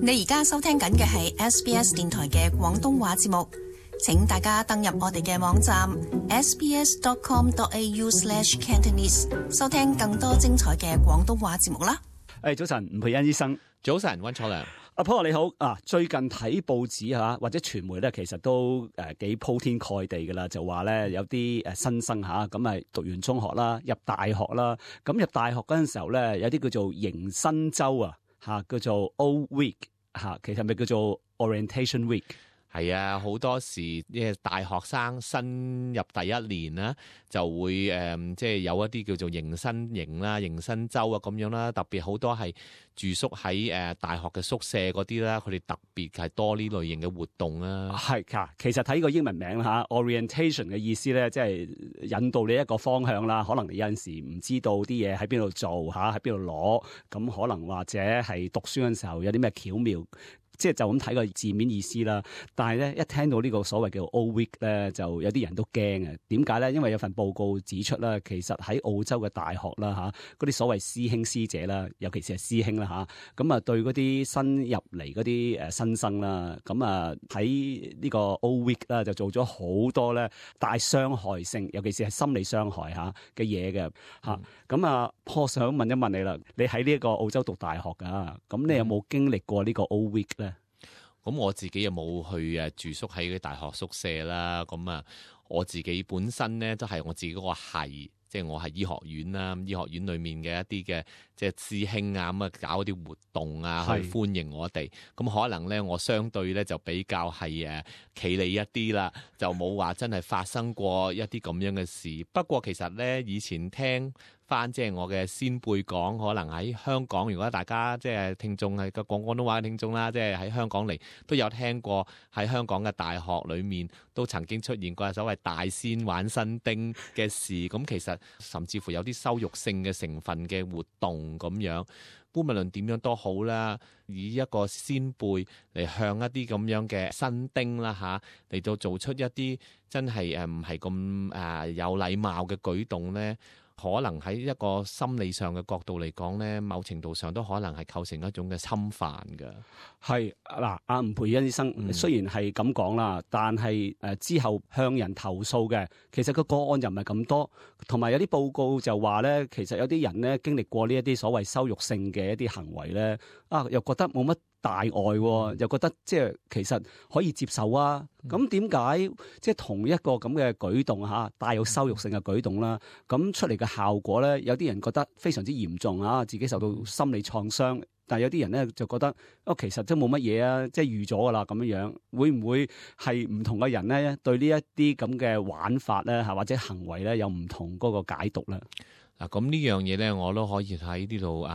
你而家收聽緊嘅係 SBS 電台嘅廣東話節目，請大家登入我哋嘅網站 sbs.com.au/cantonese 收聽更多精彩嘅廣東話節目啦。早晨，吳佩恩醫生。早晨，溫楚良。阿 Paul 你好啊！最近睇報紙或者傳媒咧，其實都幾鋪天蓋地噶啦，就話咧有啲新生咁啊讀完中學啦，入大學啦，咁入大學嗰陣時候咧，有啲叫做迎新週叫做 O Week 其實咪叫做 Orientation Week。係啊，好多時大學生新入第一年啦，就會即係有一啲叫做迎新營啦、迎新週啊咁樣啦。特別好多係住宿喺大學嘅宿舍嗰啲啦，佢哋特別係多呢類型嘅活動啦。係㗎，其實睇呢個英文名Orientation 嘅意思咧，即係引導你一個方向啦。可能你有陣時唔知道啲嘢喺邊度做喺邊度攞，咁可能或者係讀書嗰陣時候有啲咩巧妙。即係就咁睇個字面意思啦，但係咧一聽到呢個所謂叫 O Week 咧，就有啲人都驚啊。點解咧？因為有份報告指出啦，其實喺澳洲嘅大學啦嗰啲所謂師兄師姐啦，尤其是係師兄啦咁啊對嗰啲新入嚟嗰啲新生啦，咁啊喺呢個 O Week 啦就做咗好多咧帶傷害性，尤其是係心理傷害嘅嘢嘅咁我想問一問你啦，你喺呢一個澳洲讀大學㗎，咁你有冇經歷過呢個 O Week 咧？咁我自己又冇去住宿喺大學宿舍啦。咁我自己本身咧都係我自己嗰個系，即係我係醫學院啦。醫學院裏面嘅一啲嘅即係師兄咁搞啲活動去歡迎我哋。咁可能咧我相對咧就比較係企理一啲啦，就冇話真係發生過一啲咁樣嘅事。不過其實咧以前聽翻即係我嘅先輩講，可能喺香港，如果大家即係聽眾係個講廣東話嘅聽眾啦，即係喺香港嚟都有聽過喺香港嘅大學裏面都曾經出現過所謂大仙玩新丁嘅事。咁其實甚至乎有啲羞辱性嘅成分嘅活動咁樣。無論點樣都好啦，以一個先輩嚟向一啲咁樣嘅新丁啦嚟到做出一啲真係唔係咁有禮貌嘅舉動咧。可能喺一個心理上嘅角度嚟講咧，某程度上都可能係構成一種嘅侵犯嘅。係嗱，阿吳培恩醫生雖然係咁講啦，但係之後向人投訴嘅，其實個案又唔係咁多，同埋有啲報告就話咧，其實有啲人咧經歷過呢一啲所謂羞辱性嘅一啲行為咧，又覺得冇乜大礙，又覺得即係其實可以接受啊。咁點解即係同一個咁嘅舉動帶有羞辱性嘅舉動啦，咁出嚟嘅效果咧，有啲人覺得非常之嚴重自己受到心理創傷。但係有啲人咧就覺得其實都冇乜嘢啊，即係預咗噶啦咁樣。會唔會係唔同嘅人咧對呢一啲咁嘅玩法咧或者行為咧有唔同嗰個解讀咧？嗱，咁呢樣嘢咧，我都可以喺呢度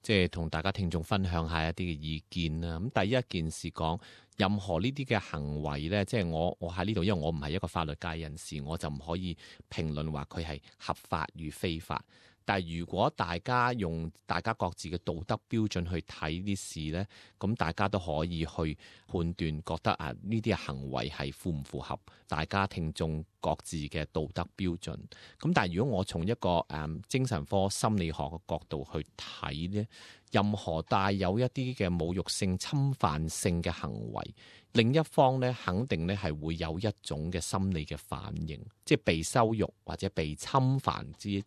即係同大家聽眾分享下一啲嘅意見啦。咁第一件事講，任何呢啲嘅行為咧，即係我喺呢度，因為我唔係一個法律界人士，我就唔可以評論話佢係合法與非法。但係如果大家用大家各自嘅道德標準去睇啲事咧，咁大家都可以去判斷，覺得呢啲行為係符唔符合大家聽眾各自嘅道德標準。咁但係如果我從一個精神科心理學嘅角度去睇咧，任何帶有一啲嘅侮辱性、侵犯性嘅行為，另一方咧肯定咧係會有一種嘅心理嘅反應，即係被羞辱或者被侵犯嘅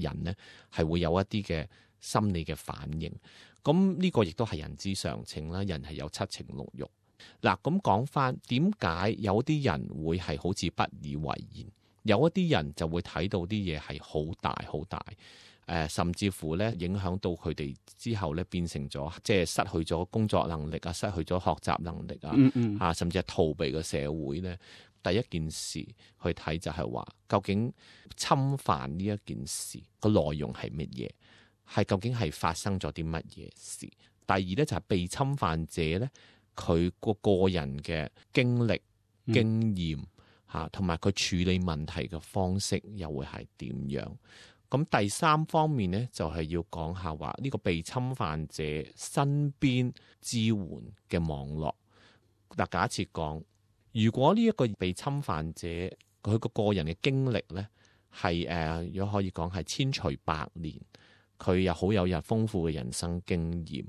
人咧係會有一啲嘅心理嘅反應。咁呢個亦都係人之常情啦，人係有七情六欲。嗱，咁講翻點解有啲人會係好似不以為然，有一啲人就會睇到啲嘢係好大好大。甚至乎咧影響到佢哋之後咧變成咗即係失去咗工作能力失去咗學習能力甚至係逃避嘅社會咧。第一件事去睇就係話，究竟侵犯呢一件事個內容係乜嘢？係究竟係發生咗啲乜嘢事？第二咧就係被侵犯者咧，佢個人嘅經歷、經驗同埋佢處理問題嘅方式又會係點樣？咁第三方面咧，就係要講下話呢個被侵犯者身邊支援嘅網絡。嗱，假設講，如果呢一個被侵犯者佢個人嘅經歷咧係如果可以講係千錘百煉，佢又好有豐富嘅人生經驗，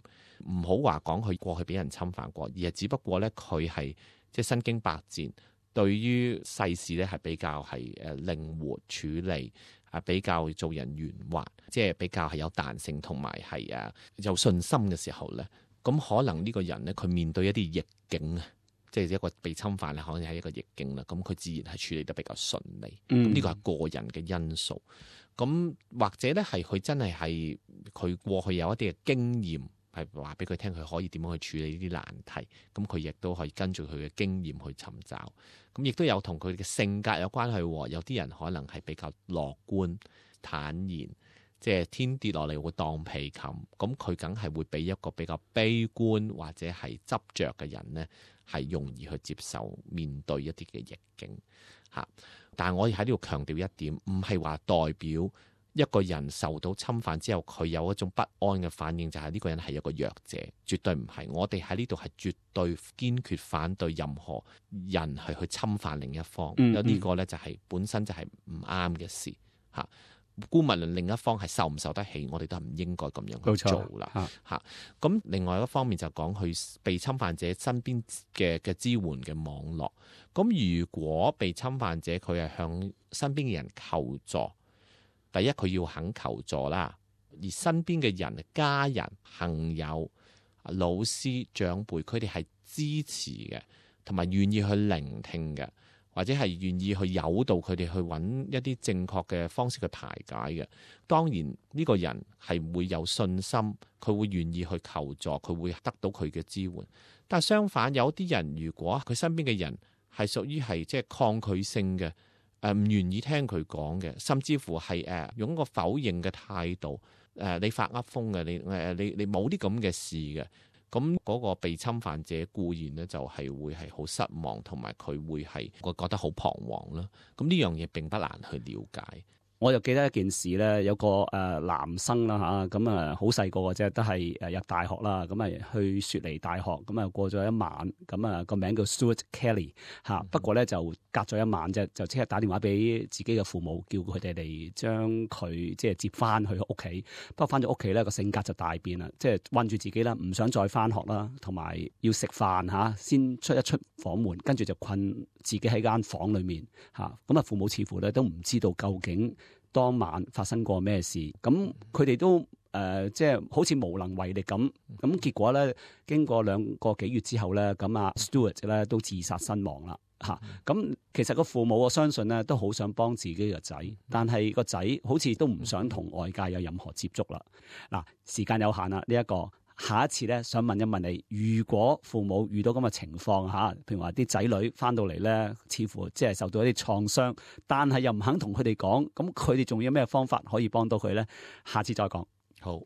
唔好話講佢過去俾人侵犯過，而係只不過咧佢係即係身經百戰，對於世事咧係比較係靈活處理，比較做人圓滑，即係比較係有彈性同埋係有信心嘅時候咧，咁可能呢個人咧佢面對一啲逆境啊，即係一個被侵犯咧，可能係一個逆境啦，咁佢自然係處理得比較順利。咁呢個係個人嘅因素。咁或者咧係佢真係佢過去有一啲嘅經驗，係話俾佢聽佢可以點樣去處理呢啲難題。咁佢亦都可以跟住佢嘅經驗去尋找。咁亦都有同佢嘅性格有關係。有啲人可能係比較樂觀坦然，即係天跌落嚟會當被冚。咁佢梗係會比一個比較悲觀或者係執着嘅人呢，係容易去接受面對一啲嘅逆境嚇。但係我喺呢度強調一點，唔係話代表一個人受到侵犯之後，佢有一種不安嘅反應，就係呢個人係一個弱者，絕對唔係。我哋喺呢度係絕對堅決反對任何人係去侵犯另一方。呢個呢，就係本身就係唔啱嘅事嚇。姑勿論另一方係受唔受得起，我哋都係唔應該咁樣去做啦嚇。咁另外一方面就講佢被侵犯者身邊嘅支援嘅網絡。咁如果被侵犯者佢係向身邊嘅人求助，第一佢要肯求助啦，而身邊嘅人、家人、朋友、老師、長輩，佢哋係支持嘅，同埋願意去聆聽嘅，或者係願意去誘導佢哋去揾一啲正確嘅方式去排解嘅。當然呢個人係會有信心，佢會願意去求助，佢會得到佢嘅支援。但係相反，有啲人如果佢身邊嘅人係屬於係即係抗拒性嘅，唔願意聽佢講嘅，甚至乎係用一個否認嘅態度，你發噏風嘅，你冇啲咁嘅事嘅，咁嗰個被侵犯者固然呢就係會係好失望，同埋佢會係我覺得好彷徨啦。咁呢樣嘢並不難去了解。我就記得一件事咧，有個男生啦嚇，咁好細個嘅啫，都係入大學啦，咁去雪梨大學，咁過咗一晚，咁個名叫 Stuart Kelly 嚇，不過咧就隔咗一晚啫，就即刻打電話俾自己嘅父母，叫佢哋嚟將佢即係接翻去屋企。不過翻咗屋企咧，個性格就大變啦，即係韞住自己啦，唔想再翻學啦，同埋要食飯嚇，先出房門，跟住就困自己喺間房裏面嚇。咁父母似乎咧都唔知道究竟當晚發生過咩事，咁佢哋都即係好似無能為力咁。咁結果咧，經過2個幾月之後咧，咁Stuart 咧都自殺身亡啦嚇。咁其實個父母我相信咧都好想幫自己嘅仔，但係個仔好似都唔想同外界有任何接觸啦。嗱，時間有限啦，呢一個。下一次咧，想問一問你，如果父母遇到咁嘅情況嚇，譬如話啲仔女翻到嚟咧，似乎即係受到一啲創傷，但係又唔肯同佢哋講，咁佢哋仲有咩方法可以幫到佢咧？下次再講。好，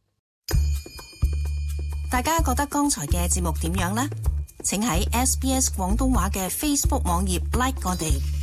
大家覺得剛才嘅節目點樣呢？請喺 SBS 廣東話嘅 Facebook 網頁 like 我哋。